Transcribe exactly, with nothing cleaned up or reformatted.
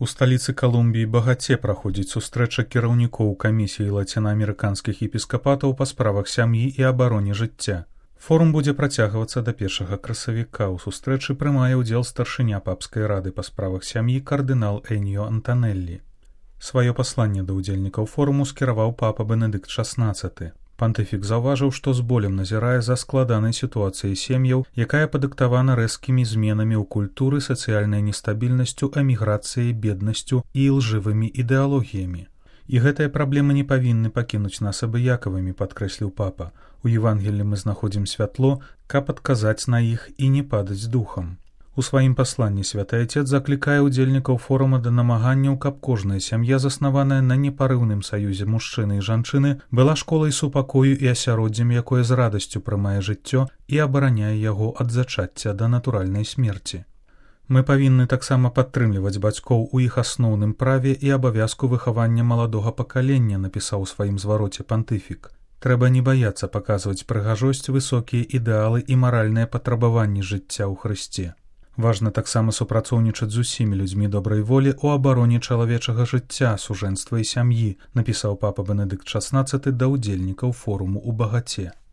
У сталіцы Калумбіі Багаце праходзіць сустрэча кіраўнікоў камісіі лацінаамерыканскіх епіскапатаў па справах сям'і і абароне жыцця. Форум будзе працягвацца да першага красавіка. У сустрэчы прымае ўдзел старшыня папскай рады па справах сям'і кардынал Эньо Антанеллі. Сваё пасланне да ўдзельнікаў форуму скіраваў папа Бенедыкт шаснаццаты. Пантыфік заўважыў, што з болем назірае за складанай сітуацыяй сем'яў, якая падыктавана рэзкімі зменамі ў культуры, сацыяльнай нестабільнасцю, эміграцыяй, беднасцю і лжывымі ідэалогіямі. І гэтыя праблемы не павінны пакінуць нас абыякавымі, падкрэсліў папа. У Евангеллі мы знаходзім святло, каб адказаць на іх і не падаць духам. У сваім пасланні святы Айцец заклікае ўдзельнікаў форума да намаганняў, каб кожная сям'я, заснаваная на непарыўным саюзе мужчыны і жанчыны, была школай супакою і асяроддзем, якое з радасцю прымае жыццё і абараняе яго ад зачацця да натуральнай смерці. Мы павінны таксама падтрымліваць бацькоў у іх асноўным праве і абавязку выхавання маладога пакалення, напісаў у сваім звароце пантыфік. Трэба не баяцца паказваць прыгажосць, высокія ідэалы і маральныя патрабаванні жыцця ў Хрысце. Важна таксама супрацоўнічаць з усімі людзьмі добрай волі ў абароне чалавечага жыцця, сужэнства і сям'і, напісаў папа Бенедыкт шаснаццаты да ўдзельнікаў форуму ў Багаце.